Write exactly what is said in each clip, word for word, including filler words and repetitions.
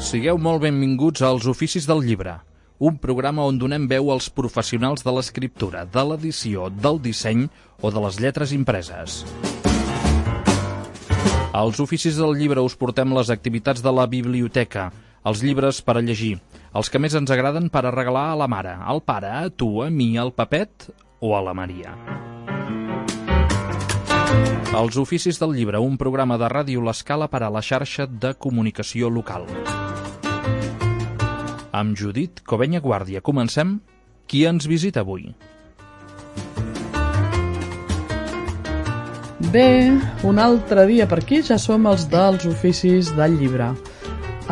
Sigueu molt benvinguts als Oficis del Llibre, un programa on donem veu als professionals de l'escriptura, de l'edició, del disseny o de les lletres impreses. Als Oficis del Llibre us portem les activitats de la biblioteca, els llibres per a llegir, els que més ens agraden per a regalar a la mare, al pare, a tu, a mi, al Pepet o a la Maria. Els Oficis del Llibre, un programa de Ràdio L'Escala per a la xarxa de comunicació local. Amb Judit Covenya Guàrdia comencem. Qui ens visita avui? Bé, un altre dia per aquí ja som els dels Oficis del Llibre.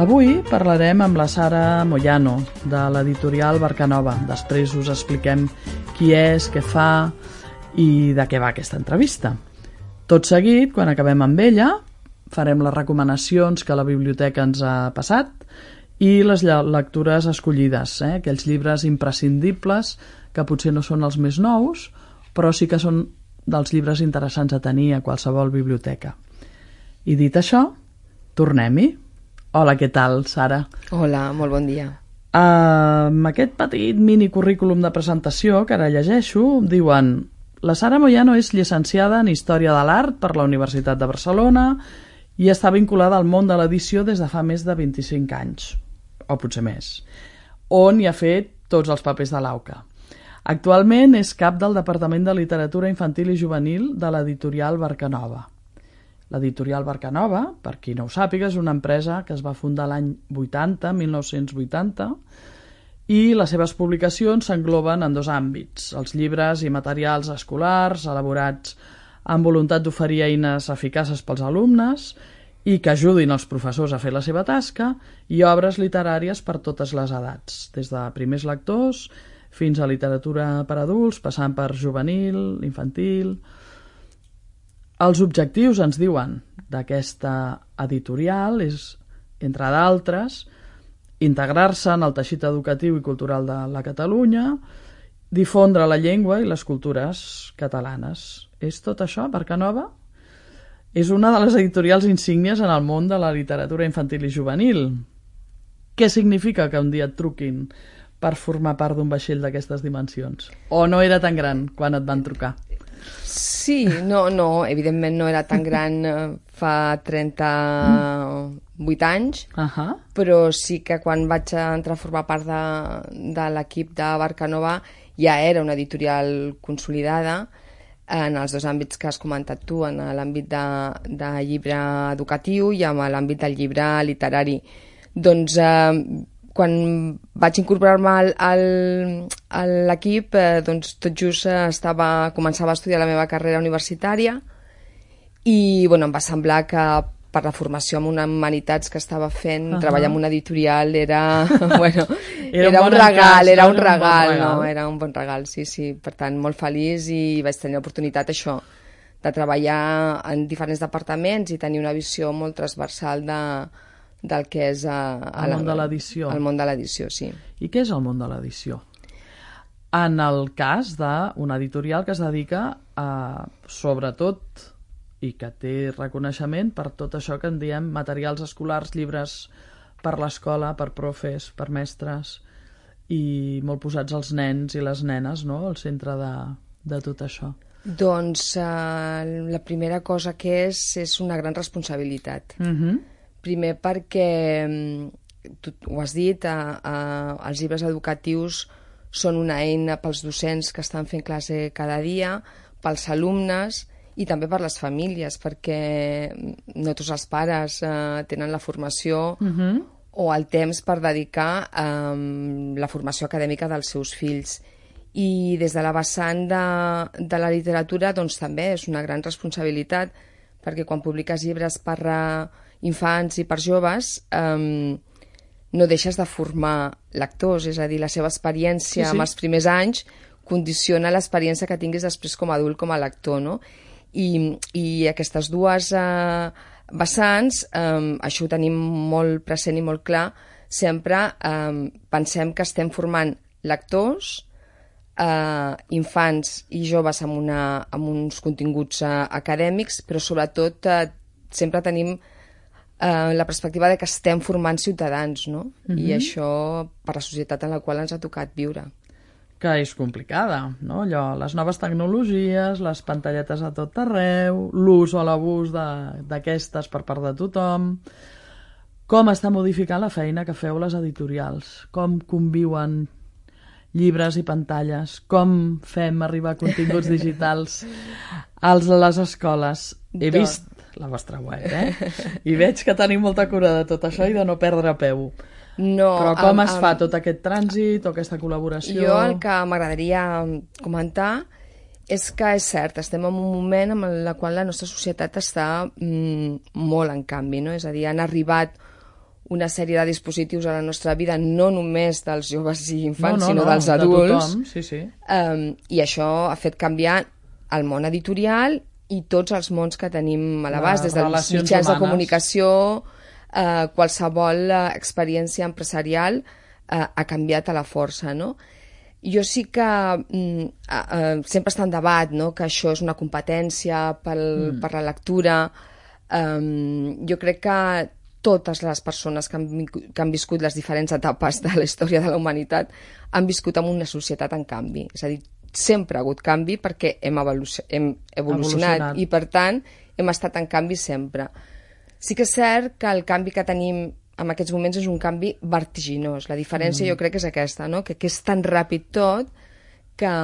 Avui parlarem amb la Sara Moyano, de l'editorial Barcanova. Després us expliquem qui és, què fa i de què va aquesta entrevista. Tot seguit, quan acabem amb ella, farem les recomanacions que la biblioteca ens ha passat i les lectures escollides, eh? Aquells llibres imprescindibles que potser no són els més nous, però sí que són dels llibres interessants a tenir a qualsevol biblioteca. I dit això, tornem-hi. Hola, què tal, Sara? Hola, molt bon dia. Uh, amb aquest petit mini currículum de presentació que ara llegeixo, diuen: la Sara Moyano és llicenciada en Història de l'Art per la Universitat de Barcelona i està vinculada al món de l'edició des de fa més de vint-i-cinc anys, o potser més, on hi ha fet tots els papers de l'AUCA. Actualment és cap del Departament de Literatura Infantil i Juvenil de l'editorial Barcanova. L'editorial Barcanova, per qui no ho sàpiga, és una empresa que es va fundar l'any vuitanta, mil nou-cents vuitanta, i les seves publicacions s'engloben en dos àmbits: els llibres i materials escolars elaborats amb voluntat d'oferir eines eficaces pels alumnes i que ajudin els professors a fer la seva tasca, i obres literàries per totes les edats, des de primers lectors fins a literatura per adults, passant per juvenil, infantil. Els objectius, ens diuen, d'aquesta editorial és, entre d'altres, integrar-se en el teixit educatiu i cultural de la Catalunya, difondre la llengua i les cultures catalanes. És tot això, Barcanova? És una de les editorials insígnies en el món de la literatura infantil i juvenil. Què significa que un dia et truquin per formar part d'un vaixell d'aquestes dimensions? O no era tan gran quan et van trucar? Sí, no, no, evidentment no era tan gran fa trenta-vuit anys, uh-huh. Però sí que quan vaig entrar a formar part de, de l'equip de Barcanova ja era una editorial consolidada en els dos àmbits que has comentat tu, en l'àmbit de, de llibre educatiu i en l'àmbit del llibre literari. Doncs eh, quan vaig incorporar-me al, al, a l'equip, eh, doncs tot just estava, començava a estudiar la meva carrera universitària i bueno, em va semblar que per la formació en humanitats que estava fent, uh-huh. treballar en una editorial era, bueno, era, era un, un regal, era un regal, no, era un bon regal, sí, sí. Per tant, molt feliç i vaig tenir l'oportunitat, això, de treballar en diferents departaments i tenir una visió molt transversal de del que és a, a el món de l'edició. El món de l'edició, sí. I què és el món de l'edició? En el cas d'una editorial que es dedica a, sobretot, i que té reconeixement per tot això que en diem materials escolars, llibres per l'escola, per profes, per mestres, i molt posats els nens i les nenes, no?, al centre de, de tot això. Doncs eh, la primera cosa que és, és una gran responsabilitat. Mhm. Primer perquè, tu ho has dit, eh, eh, els llibres educatius són una eina pels docents que estan fent classe cada dia, pels alumnes i també per les famílies, perquè no tots els pares eh, tenen la formació uh-huh. o el temps per dedicar eh, la formació acadèmica dels seus fills. I des de la vessant de, de la literatura doncs, també és una gran responsabilitat, perquè quan publiques llibres per Uh, infants i per joves, eh, no deixes de formar lectors, és a dir, la seva experiència sí, sí. en els primers anys condiciona l'experiència que tinguis després com a adult, com a lector, no? I, i aquestes dues eh, vessants, eh, això ho tenim molt present i molt clar, sempre eh, pensem que estem formant lectors, eh, infants i joves amb, una, amb uns continguts eh, acadèmics, però sobretot eh, sempre tenim eh, la perspectiva de que estem formant ciutadans, no? Mhm. I això per la societat en la qual ens ha tocat viure. Que és complicada, no? Allò, les noves tecnologies, les pantalletes a tot arreu, l'ús o l'abús de- d'aquestes per part de tothom. Com està modificant la feina que feu les editorials? Com conviuen llibres i pantalles? Com fem arribar continguts digitals als a les escoles? He Do- vist la vostra web, eh? I veig que teniu molta cura de tot això i de no perdre peu. No, Però com amb- es fa amb- tot aquest trànsit o aquesta col·laboració? Jo el que m'agradaria comentar és que és cert, estem en un moment en el qual la nostra societat està mm, molt en canvi, no? És a dir, han arribat una sèrie de dispositius a la nostra vida, no només dels joves i infants, no, no, sinó no, dels de adults. tothom, sí, sí. Um, I això ha fet canviar el món editorial i tots els mons que tenim a l'abast, Les des dels relacions mitjans de humanes. comunicació, eh, qualsevol eh, experiència empresarial eh, ha canviat a la força, no? Jo sí que mm, eh, sempre està en debat, no?, que això és una competència pel, mm. per la lectura. Um, jo crec que totes les persones que han, que han viscut les diferents etapes de la història de la humanitat han viscut en una societat en canvi. És a dir, sempre ha hagut canvi perquè hem, evolucionat, hem evolucionat, evolucionat i, per tant, hem estat en canvi sempre. Sí que és cert que el canvi que tenim en aquests moments és un canvi vertiginós. La diferència mm. jo crec que és aquesta, no?, que, que és tan ràpid tot que,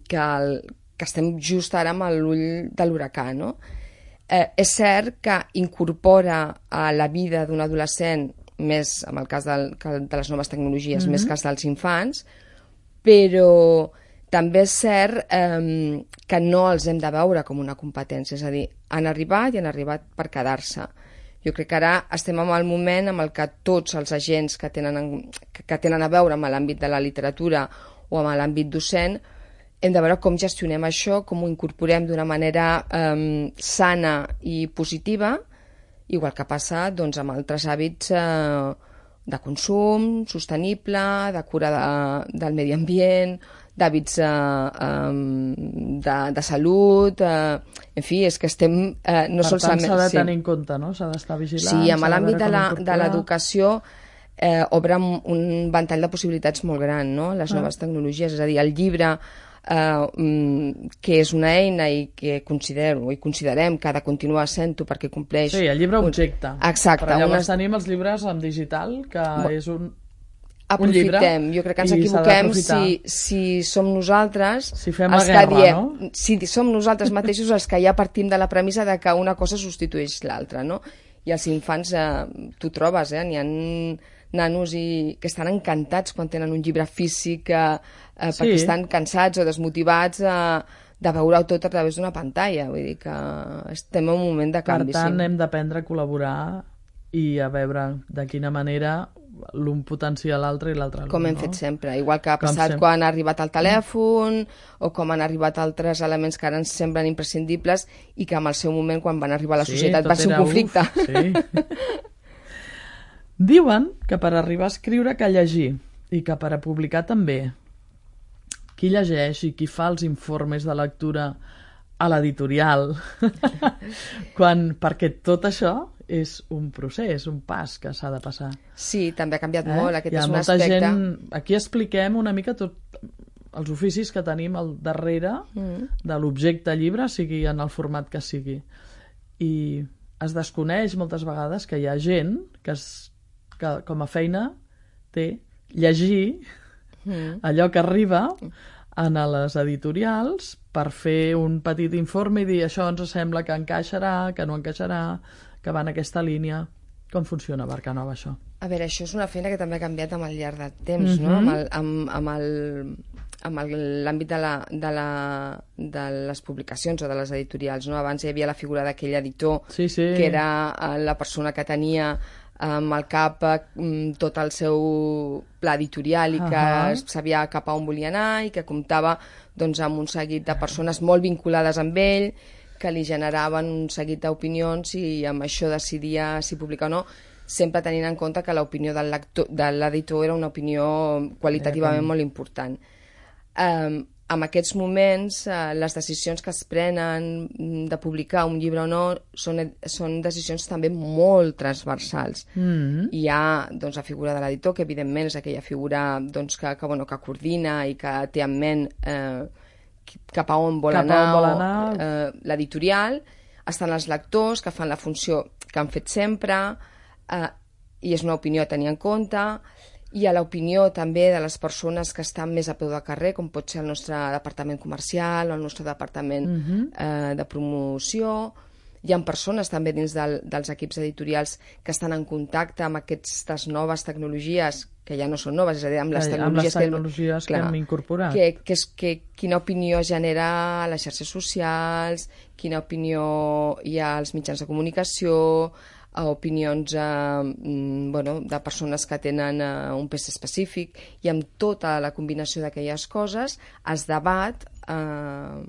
que, el, que estem just ara amb l'ull de l'huracà, no? Eh, és cert que incorpora a la vida d'un adolescent, més en el cas del, de les noves tecnologies, mm-hmm. més que els dels infants, però també és cert eh, que no els hem de veure com una competència, és a dir, han arribat i han arribat per quedar-se. Jo crec que ara estem en el moment en el que tots els agents que tenen, que tenen a veure amb l'àmbit de la literatura o amb l'àmbit docent hem de veure com gestionem això, com ho incorporem d'una manera eh, sana i positiva, igual que passa doncs, amb altres hàbits eh, de consum sostenible, de cura de, del medi ambient, d'hàbits eh, eh, de, de salut, eh, en fi, és que estem eh, no per solament... tant, s'ha de sí. tenir en compte, no? S'ha d'estar vigilant. Sí, amb l'àmbit de l'educació l'educació eh, obre un ventall de possibilitats molt gran, no?, les Ah. noves tecnologies, és a dir, el llibre eh, que és una eina i que considero i considerem que ha de continuar sent-ho perquè compleix... Sí, el llibre objecte. Exacte. Però llavors unes... tenim els llibres en digital, que Bo... és un... Aprofitem, jo crec que ens equivoquem si, si som nosaltres si fem els la guerra, que diem, no? si som nosaltres mateixos els que ja partim de la premissa de que una cosa substitueix l'altra, no? I els infants, eh, tu trobes, eh? N'hi ha nanos i, que estan encantats quan tenen un llibre físic eh, eh, Sí. perquè estan cansats o desmotivats eh, de veure-ho tot a través d'una pantalla, vull dir que estem en un moment de canvi. Per tant, sí. hem d'aprendre a col·laborar i a veure de quina manera l'un potencia l'altre i l'altre l'un, Com hem no? fet sempre, igual que ha Com passat sempre. quan ha arribat el telèfon o com han arribat altres elements que ara ens semblen imprescindibles i que en el seu moment, quan van arribar a la Sí, societat, tot va ser un era conflicte. Uf, sí. Diuen que per arribar a escriure cal llegir i que per a publicar també. Qui llegeix i qui fa els informes de lectura a l'editorial? Quan, perquè tot això és un procés, un pas que s'ha de passar. Sí, també ha canviat Eh? molt, aquest Hi ha és un molta aspecte... gent... Aquí expliquem una mica tot els oficis que tenim al darrere Mm. de l'objecte llibre, sigui en el format que sigui. I es desconeix moltes vegades que hi ha gent que, es, que com a feina té llegir Mm. allò que arriba en les editorials per fer un petit informe i dir això ens sembla que encaixarà, que no encaixarà, que va en aquesta línia. Com funciona a Barcanova, això? A veure, això és una feina que també ha canviat amb el llarg del temps, Mhm. no? Amb el- amb- amb el- amb el- l'àmbit de, la, de, la, de les publicacions o de les editorials, no? Abans hi havia la figura d'aquell editor Sí, sí. que era eh, la persona que tenia amb el cap eh, tot el seu pla editorial i que Ahà. sabia cap a on volia anar i que comptava doncs, amb un seguit de persones molt vinculades amb ell que li generaven un seguit d'opinions i amb això decidia si publicar o no, sempre tenint en compte que l'opinió del lector, de l'editor era una opinió qualitativament Eh, com- molt important. Um, en aquests moments eh, les decisions que es prenen de publicar un llibre o no són, són decisions també molt transversals. Mm-hmm. Hi ha doncs, la figura de l'editor, que evidentment és aquella figura doncs, que, que, bueno, que coordina i que té en ment eh, cap a on vol cap anar, on vol anar. Eh, l'editorial. Estan els lectors, que fan la funció que han fet sempre, eh, i és una opinió a tenir en compte. Hi ha l'opinió també de les persones que estan més a peu de carrer, com pot ser el nostre departament comercial o el nostre departament uh-huh. eh, de promoció. Hi ha persones també dins del, dels equips editorials que estan en contacte amb aquestes noves tecnologies, que ja no són noves, és a dir, amb les tecnologies, amb les tecnologies que, que clar, hem incorporat. Que, que és, que, quina opinió genera a les xarxes socials, quina opinió hi ha als mitjans de comunicació, a opinions eh, bueno, de persones que tenen eh, un pes específic, i amb tota la combinació d'aquelles coses es debat eh,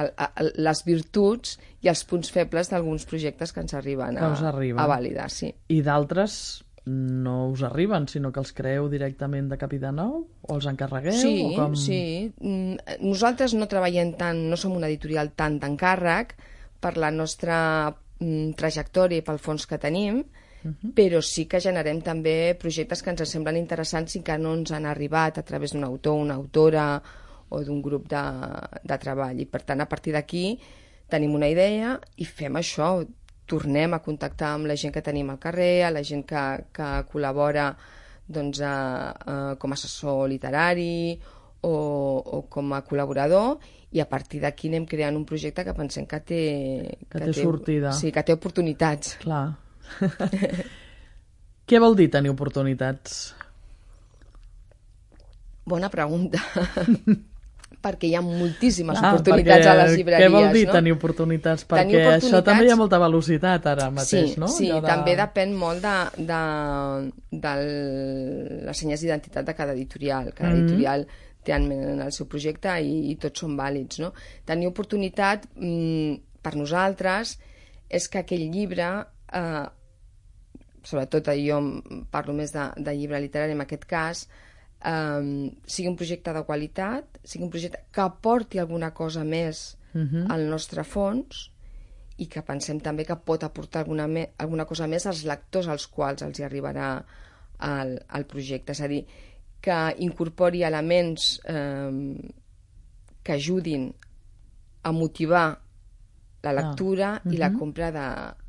el, el, les virtuts i els punts febles d'alguns projectes que ens arriben a, arriben. a validar. Sí. I d'altres no us arriben, sinó que els creeu directament de cap i de nou? O els encarregueu? Sí, o com... sí. Nosaltres no treballem tant, no som un editorial tant d'encàrrec per la nostra trajectòria i pel fons que tenim, uh-huh. però sí que generem també projectes que ens semblen interessants i que no ens han arribat a través d'un autor, una autora o d'un grup de, de treball. I per tant, a partir d'aquí tenim una idea i fem això, tornem a contactar amb la gent que tenim al carrer, a la gent que, que col·labora doncs, a, a, com a assessor literari o, o com a col·laborador, i a partir d'aquí anem creant un projecte que pensem que té... Que, que té sortida. Sí, que té oportunitats. Clar. Què vol dir tenir oportunitats? Bona pregunta. Perquè hi ha moltíssimes Clar, oportunitats a les llibreries. Què vol dir no? tenir oportunitats? Perquè tenir oportunitats... això també hi ha molta velocitat ara mateix, sí, no? Sí, de... també depèn molt de, de, de les senyes d'identitat de cada editorial. Cada mm-hmm. editorial té en el seu projecte i, i tots són vàlids. No? Tenir oportunitat mmm, per nosaltres és que aquell llibre, eh, sobretot jo parlo més de, de llibre literari en aquest cas, eh, sigui un projecte de qualitat, sigui un projecte que aporti alguna cosa més uh-huh. al nostre fons i que pensem també que pot aportar alguna, me, alguna cosa més als lectors als quals els hi arribarà el, el projecte. És a dir, que incorpori elements eh, que ajudin a motivar la lectura ah. uh-huh. i la compra de,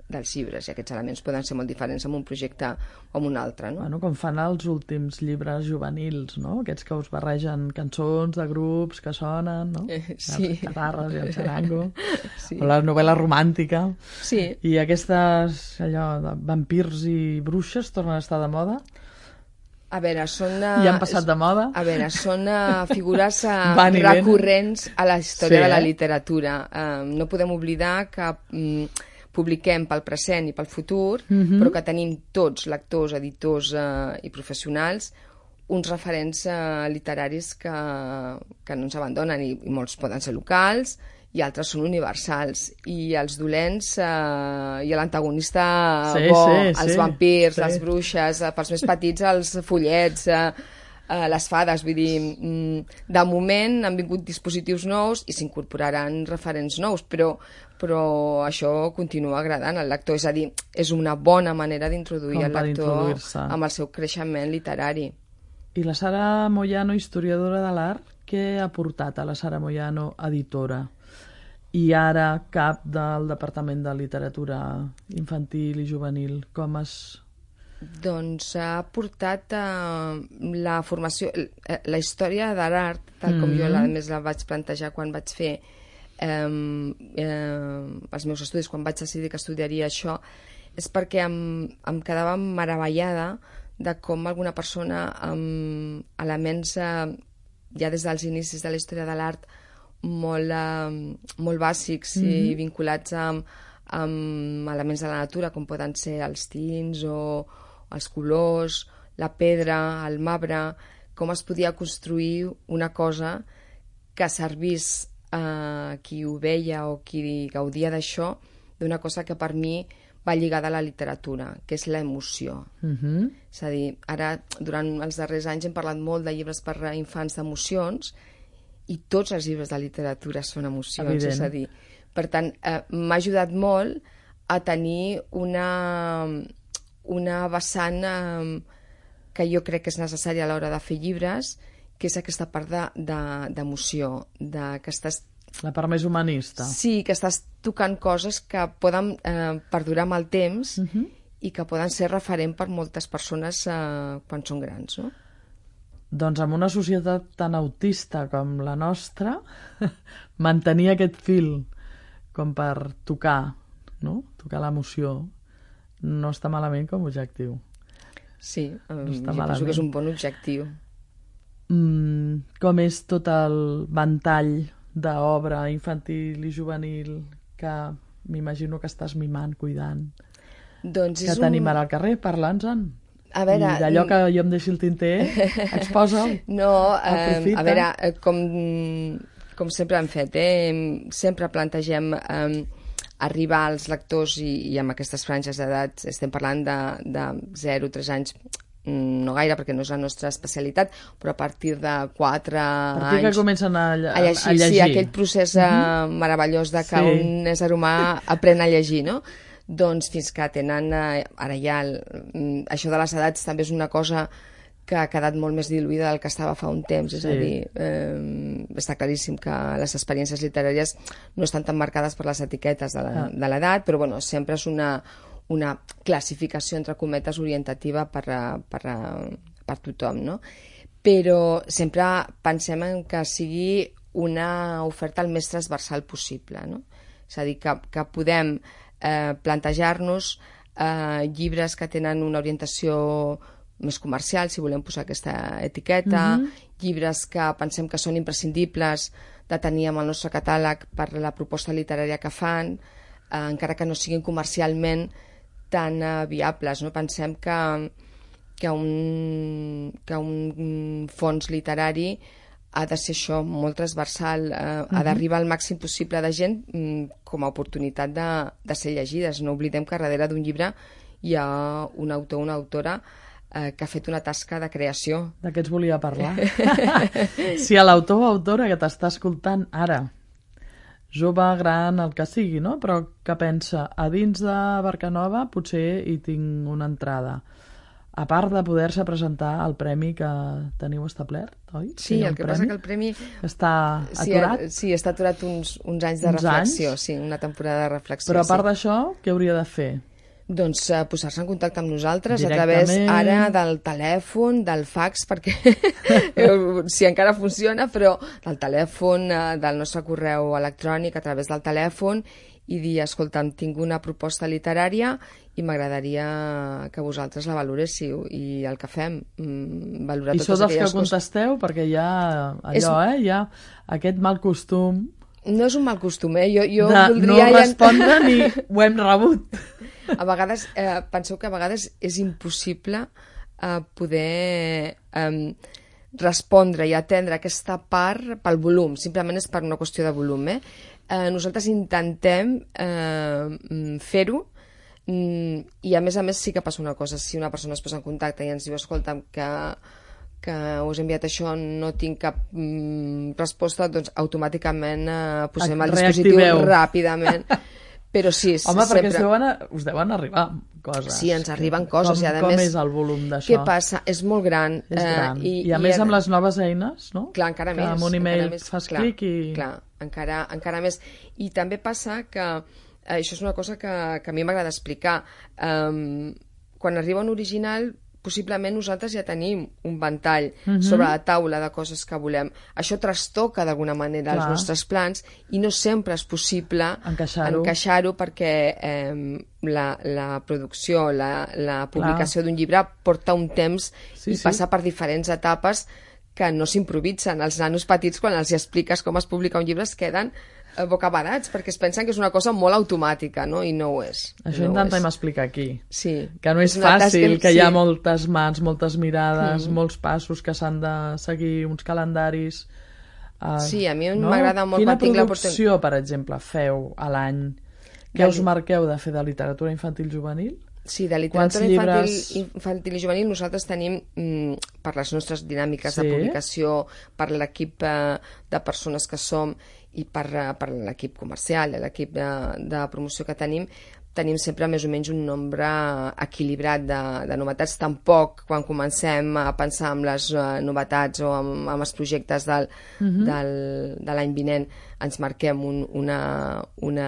dels llibres. I aquests elements poden ser molt diferents en un projecte o en un altre. No? Bueno, com fan els últims llibres juvenils, no? Aquests que us barregen cançons de grups que sonen, no? Eh, sí. Les guitarres i el xarango. Sí. O la novel·la romàntica. Sí. I aquestes, allò, de vampirs i bruixes tornen a estar de moda? A veure, són... Uh, ja han passat de moda? A veure, són uh, figures uh, recurrents a la història sí, de la eh? literatura. Uh, no podem oblidar que um, publiquem pel present i pel futur, uh-huh. però que tenim tots, lectors, editors uh, i professionals, uns referents uh, literaris que, que no ens abandonen, i, i molts poden ser locals, i altres són universals, i els dolents eh, i l'antagonista sí, bo, sí, els sí, vampirs, sí. les bruixes, eh, pels més petits els follets, eh, eh, les fades, vull dir, mm, de moment han vingut dispositius nous i s'incorporaran referents nous, però, però això continua agradant al lector, és a dir, és una bona manera d'introduir el lector amb el seu creixement literari. I la Sara Moyano, historiadora de l'art, què ha portat a la Sara Moyano, editora? I ara cap del Departament de Literatura Infantil i Juvenil. Com es... Doncs ha portat uh, la formació, la història de l'art, tal com mm-hmm. jo a més la vaig plantejar quan vaig fer um, uh, els meus estudis, quan vaig decidir que estudiaria això, és perquè em, em quedava meravellada de com alguna persona amb elements uh, ja des dels inicis de la història de l'art molt, uh, molt bàsics mm-hmm. i vinculats amb, amb elements de la natura, com poden ser els tints o els colors, la pedra, el marbre, com es podia construir una cosa que servís a qui ho veia o qui gaudia d'això, d'una cosa que per mi va lligada a la literatura, que és l'emoció. Mm-hmm. És a dir, ara, durant els darrers anys hem parlat molt de llibres per a infants d'emocions, i tots els llibres de literatura són emocions, Evident. és a dir, per tant, eh, m'ha ajudat molt a tenir una, una vessant eh, que jo crec que és necessària a l'hora de fer llibres, que és aquesta part d'emoció, de, de, que estàs... La part més humanista. Sí, que estàs tocant coses que poden eh, perdurar amb el temps uh-huh. i que poden ser referent per moltes persones eh, quan són grans, no? Doncs en una societat tan autista com la nostra, mantenir aquest fil com per tocar, no? Tocar l'emoció, no està malament com a objectiu. Sí, no no jo penso que és un bon objectiu. Mm, com és tot el ventall d'obra infantil i juvenil que m'imagino que estàs mimant, cuidant, doncs que tenim un... ara al carrer, parla'ns-en. A veure, I d'allò que jo em deixi el tinter, exposa'l. No, eh, a veure, com, com sempre hem fet, eh? Sempre plantegem eh, arribar als lectors i, i amb aquestes franges d'edat, estem parlant de, de zero a tres anys, no gaire perquè no és la nostra especialitat, però a partir de quatre anys... A partir que comencen a, a, a llegir. Sí, aquell procés uh-huh. meravellós de que sí. un ésser humà aprèn a llegir, no? Doncs fins que tenen, eh, ara ja, el, això de les edats també és una cosa que ha quedat molt més diluïda del que estava fa un temps, és sí. a dir, eh, està claríssim que les experiències literàries no estan tan marcades per les etiquetes de l'edat, però bueno, sempre és una, una classificació, entre cometes, orientativa per, per, per tothom, no? Però sempre pensem en que sigui una oferta el més transversal possible, no? És a dir, que, que podem Eh, plantejar-nos eh, llibres que tenen una orientació més comercial, si volem posar aquesta etiqueta, mm-hmm. llibres que pensem que són imprescindibles de tenir amb el nostre catàleg per la proposta literària que fan, eh, encara que no siguin comercialment tan eh, viables, no? Pensem que, que, un, que un fons literari ha de ser això, molt transversal, eh, uh-huh. ha d'arribar al màxim possible de gent mm, com a oportunitat de, de ser llegides. No oblidem que darrere d'un llibre hi ha un autor o una autora eh, que ha fet una tasca de creació. D'aquests volia parlar. Si a l'autor o autora que t'està escoltant ara, jove, gran, el que sigui, no? Però que pensa, a dins de Barcanova potser hi tinc una entrada. A part de poder-se presentar al premi que teniu establert, oi? Sí, el que passa que el premi... Està aturat? Sí, sí està aturat uns, uns anys de uns reflexió, anys? Sí, una temporada de reflexió. Però a part sí. d'això, què hauria de fer? Doncs uh, posar-se en contacte amb nosaltres a través ara del telèfon, del fax, perquè si encara funciona, però del telèfon, uh, del nostre correu electrònic, a través del telèfon, i dir, escolta'm, tinc una proposta literària i m'agradaria que vosaltres la valoréssiu, i el que fem, mm, valorar I totes sou dels que coses. contesteu, perquè hi ha allò, és... eh, hi ha aquest mal costum... No és un mal costum, eh? Jo, jo de voldria... no respondre ni ho hem rebut. A vegades, eh, penseu que a vegades és impossible eh, poder eh, respondre i atendre aquesta part pel volum, simplement és per una qüestió de volum, eh? Eh, nosaltres intentem eh, fer-ho, mm, i a més a més sí que passa una cosa, si una persona es posa en contacte i ens diu, escolta'm, que, que us he enviat això, no tinc cap mm, resposta, doncs automàticament eh, posem el dispositiu ràpidament. Però sí, home, sempre... perquè us deuen, us deuen arribar coses. Sí, ens arriben coses. Com, i a com més, és el volum d'això? Què passa? És molt gran. És gran. Eh, i, I a i més a... amb les noves eines, no? Clar, encara que més. amb un email més, fas clar, clic i... Clar, encara, encara més. I també passa que, eh, això és una cosa que, que a mi m'agrada explicar, um, quan arriba un original, possiblement nosaltres ja tenim un ventall uh-huh. sobre la taula de coses que volem. Això trastoca d'alguna manera Clar. els nostres plans i no sempre és possible encaixar-ho, encaixar-ho perquè eh, la, la producció, la, la publicació d'un llibre porta un temps sí, i sí. passa per diferents etapes que no s'improvisen. Els nanos petits, quan els expliques com es publica un llibre, es queden bocabadats, perquè es pensen que és una cosa molt automàtica, no? I no ho és. Això no intentem explicar aquí. Sí. Que no és, és fàcil, que sí. hi ha moltes mans, moltes mirades, mm. molts passos que s'han de seguir, uns calendaris... Uh, sí, a mi no? m'agrada molt Quina quan tinc la producció, per exemple, feu a l'any? Què us marqueu de fer de literatura infantil juvenil? Sí, de literatura llibres... infantil, infantil i juvenil nosaltres tenim, mm, per les nostres dinàmiques Sí. de publicació, per l'equip eh, de persones que som i per, eh, per l'equip comercial, l'equip de, de promoció que tenim, tenim sempre més o menys un nombre equilibrat de, de novetats. Tampoc, quan comencem a pensar en les uh, novetats o en, en els projectes del, uh-huh. del, de l'any vinent, ens marquem un, una, una,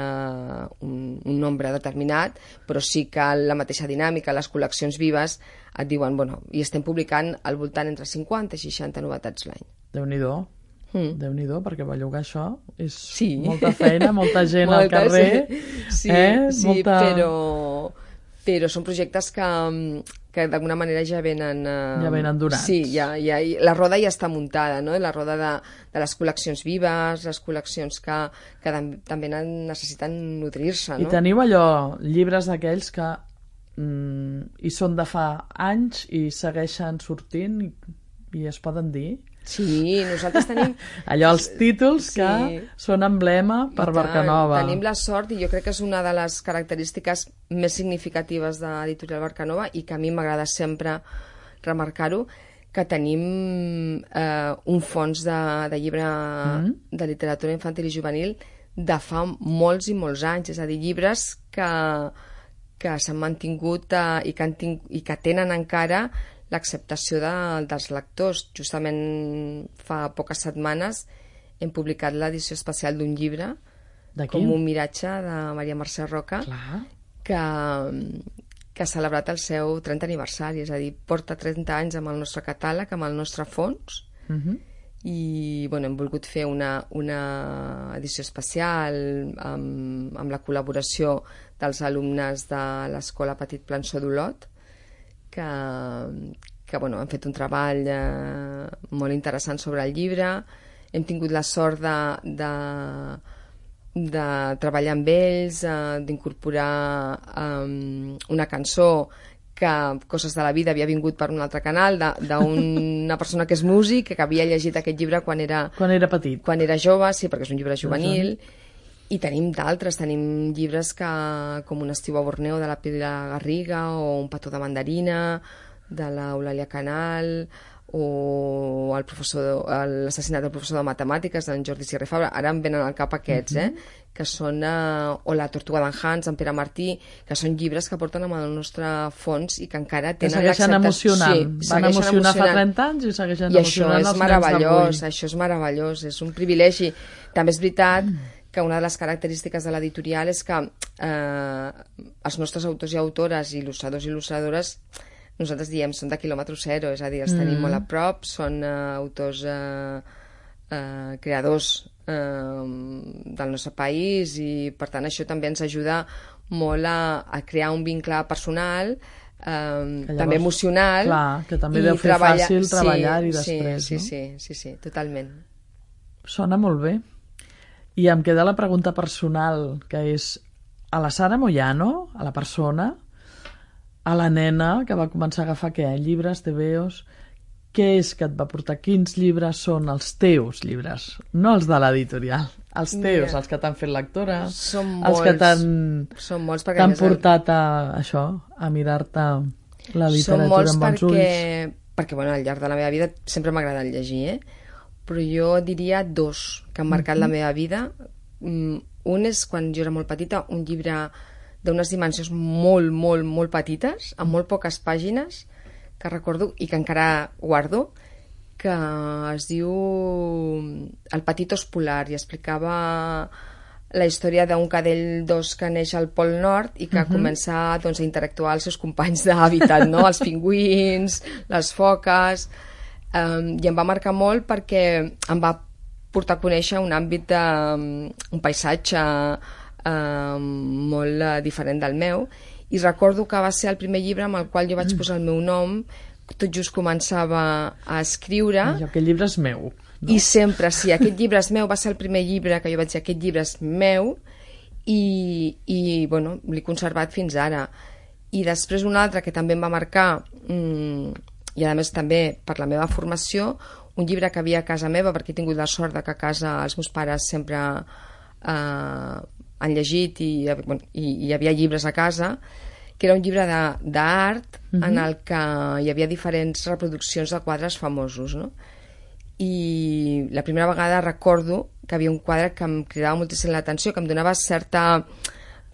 un, un nombre determinat, però sí que la mateixa dinàmica, les col·leccions vives, et diuen, bueno, i estem publicant al voltant entre cinquanta i seixanta novetats l'any. Déu-n'hi-do. Mm. Déu-n'hi-do, perquè bellugar això és sí. molta feina, molta gent molta, al carrer. Sí, eh? sí molta... però, però són projectes que, que d'alguna manera ja venen... Eh, ja venen donats. Sí, ja, ja, la roda ja està muntada, no? La roda de, de les col·leccions vives, les col·leccions que, que també necessiten nodrir-se, no? I teniu allò, llibres d'aquells que mm, hi són de fa anys i segueixen sortint i, i es poden dir... Sí, nosaltres tenim... Allò, els títols que sí. són emblema per Barcanova. Tenim la sort, i jo crec que és una de les característiques més significatives de l'editorial Barcanova i que a mi m'agrada sempre remarcar-ho, que tenim eh, un fons de, de llibre mm. de literatura infantil i juvenil de fa molts i molts anys, és a dir, llibres que, que s'han mantingut eh, i, que han ting i que tenen encara l'acceptació de, dels lectors. Justament fa poques setmanes hem publicat l'edició especial d'un llibre, Com un miratge, de Maria Mercè Roca, que, que ha celebrat el seu trentè aniversari, és a dir, porta trenta anys amb el nostre catàleg, amb el nostre fons, uh-huh. i bueno, hem volgut fer una, una edició especial amb, amb la col·laboració dels alumnes de l'Escola Petit Plançó d'Olot, que, que bueno, han fet un treball eh, molt interessant sobre el llibre. Hem tingut la sort de, de, de treballar amb ells, eh, d'incorporar eh, una cançó que, Coses de la vida, havia vingut per un altre canal, d'una persona que és músic, que havia llegit aquest llibre quan era, quan era petit. Quan era jove, sí, perquè és un llibre juvenil. I tenim d'altres, tenim llibres que, com Un estiu a Borneo, de la Pilar Garriga, o Un petó de mandarina, de l'Eulàlia Canal, o L'assassinat del professor de matemàtiques, d'en Jordi Sierra i Fabra. Ara em venen al cap aquests, eh? que són, eh, o La tortuga d'en Hans, en Pere Martí, que són llibres que porten amb el nostre fons i que encara tenen l'acceptació. Segueixen emocionant. Sí, Van emocionar fa trenta anys i segueixen I emocionant els nens d'avui. I això és meravellós, això és meravellós, és un privilegi. També és veritat mm. que una de les característiques de l'editorial és que eh, els nostres autors i autores, il·lustradors i il·lustradores, nosaltres diem, són de quilòmetre zero, és a dir, els mm. tenim molt a prop, són eh, autors eh, eh, creadors eh, del nostre país, i per tant això també ens ajuda molt a, a crear un vincle personal, eh, llavors, també emocional. Clar, que també deu fer treballa... fàcil treballar-hi sí, després, sí, no? Sí, sí, sí, totalment. Sona molt bé. I em queda la pregunta personal, que és a la Sara Moyano, a la persona, a la nena que va començar a agafar què? Llibres, tebeos... Què és que et va portar? Quins llibres són els teus llibres? No els de l'editorial. Els teus, Mira, els que t'han fet lectora, són els molts, que t'han portat a això, a mirar-te la literatura amb bons ulls. Perquè, perquè bueno, al llarg de la meva vida sempre m'ha agradat llegir, eh? Però jo diria dos que han marcat mm-hmm. la meva vida. Un és quan jo era molt petita, un llibre d'unes dimensions molt, molt, molt petites, amb molt poques pàgines, que recordo i que encara guardo, que es diu El petit os polar, i explicava la història d'un cadell d'os que neix al Pol Nord i que uh-huh. comença doncs, a interactuar amb els seus companys d'hàbitat, no? Els pingüins, les foques, um, i em va marcar molt perquè em va portar a conèixer un àmbit, de, un paisatge um, molt uh, diferent del meu. I recordo que va ser el primer llibre amb el qual jo vaig posar el meu nom, tot just començava a escriure. Allò, aquest llibre és meu. No? I sempre, sí, aquest llibre és meu, va ser el primer llibre que jo vaig dir, aquest llibre és meu, i, i bueno, l'he conservat fins ara. I després un altre que també em va marcar, mmm, i a més també per la meva formació, un llibre que havia a casa meva, perquè he tingut la sort de que a casa els meus pares sempre eh, han llegit i, bueno, i hi havia llibres a casa, que era un llibre d'art uh-huh. en el que hi havia diferents reproduccions de quadres famosos, no? I la primera vegada recordo que havia un quadre que em cridava moltíssim l'atenció, que em donava certa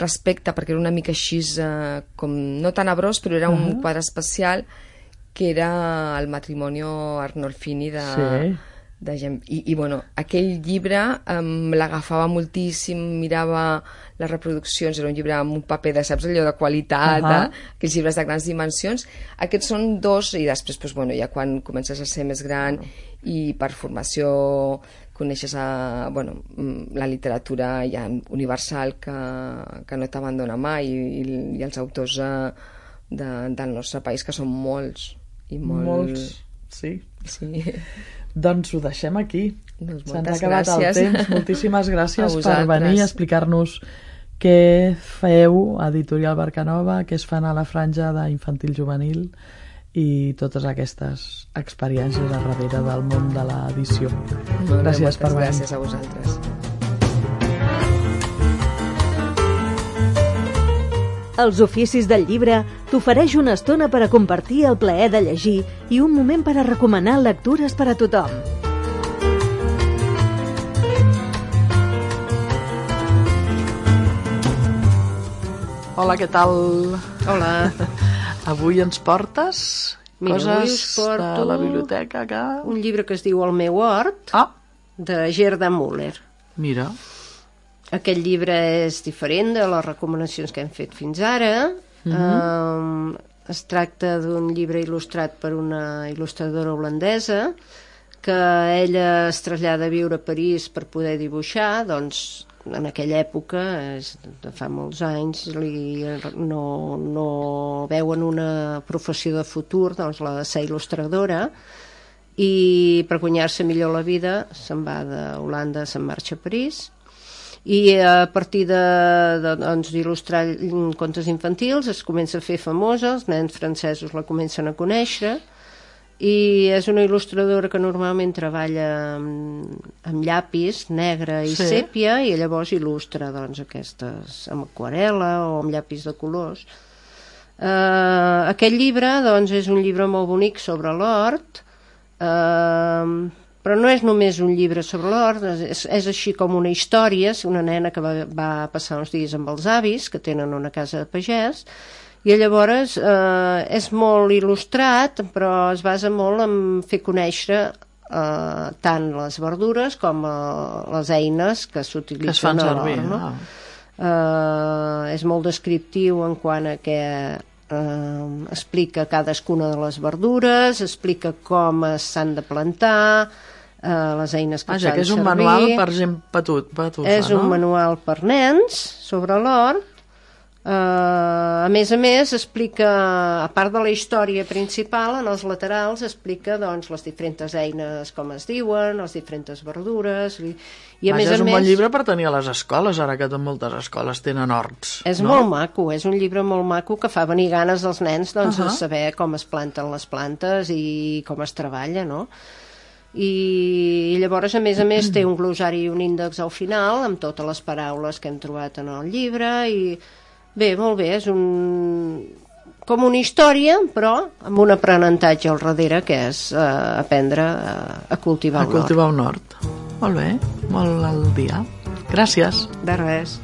respecte, perquè era una mica així, eh, com no tan abrós, però era uh-huh. un quadre especial, que era el Matrimonio Arnolfini de... Sí. de gent. I, i bueno, aquell llibre um, l'agafava moltíssim, mirava les reproduccions, era un llibre amb un paper de, saps, allò de qualitat, uh-huh. eh? Aquells llibres de grans dimensions. Aquests són dos, i després, pues, bueno, ja quan comences a ser més gran i per formació coneixes a, bueno, la literatura ja universal que, que no t'abandona mai, i, i els autors uh, de, del nostre país, que són molts. I molt... Molts, sí. Sí. Doncs ho deixem aquí. Doncs se'ns ha acabat gràcies. El temps. Moltíssimes gràcies per venir a explicar-nos què feu a Editorial Barcanova, què es fan a la franja d'infantil juvenil i totes aquestes experiències a darrere del món de l'edició. Gràcies per venir. Gràcies a vosaltres. Els oficis del llibre t'ofereix una estona per a compartir el plaer de llegir i un moment per a recomanar lectures per a tothom. Hola, què tal? Hola. Avui ens portes Mira, coses porto de la biblioteca que... un llibre que es diu El meu hort, ah. de Gerda Müller. Mira. Aquest llibre és diferent de les recomanacions que hem fet fins ara. Uh-huh. um, es tracta d'un llibre il·lustrat per una il·lustradora holandesa que ella es trasllada a viure a París per poder dibuixar. Doncs en aquella època, és de fa molts anys, li, no, no veuen una professió de futur, doncs la de ser il·lustradora, i per guanyar-se millor la vida se'n va d'Holanda, se'n marxa a París, i a partir de, de, doncs, d'il·lustrar contes infantils es comença a fer famosa, els nens francesos la comencen a conèixer, i és una il·lustradora que normalment treballa amb, amb llapis negre i sí. sèpia, i llavors il·lustra doncs, aquestes amb aquarel·la o amb llapis de colors. Uh, aquest llibre doncs, és un llibre molt bonic sobre l'hort, uh, però no és només un llibre sobre l'hort, és, és així com una història. És una nena que va, va passar uns dies amb els avis, que tenen una casa de pagès, i llavors eh, és molt il·lustrat, però es basa molt en fer conèixer eh, tant les verdures com eh, les eines que s'utilitzen a l'hort. No? Ah. Eh, és molt descriptiu en quant a que eh, explica cadascuna de les verdures, explica com s'han de plantar, Uh, les eines que ah, fan ja que és un servir. manual per gent petut, petufa, és no? un manual per nens sobre l'hort. Uh, a més a més explica, a part de la història principal, en els laterals explica doncs, les diferents eines, com es diuen, les diferents verdures, i, i a Vaja, més a és un més bon llibre per tenir a les escoles, ara que moltes escoles tenen horts. És no? molt maco, és un llibre molt maco que fa venir ganes als nens doncs, uh-huh. de saber com es planten les plantes i com es treballa, no? I llavors a més a més té un glosari i un índex al final amb totes les paraules que hem trobat en el llibre, i bé, molt bé, és un com una història però amb un aprenentatge al darrere, que és eh, aprendre a, a cultivar a un hort. cultivar un hort. Molt bé, molt al dia. Gràcies. De res.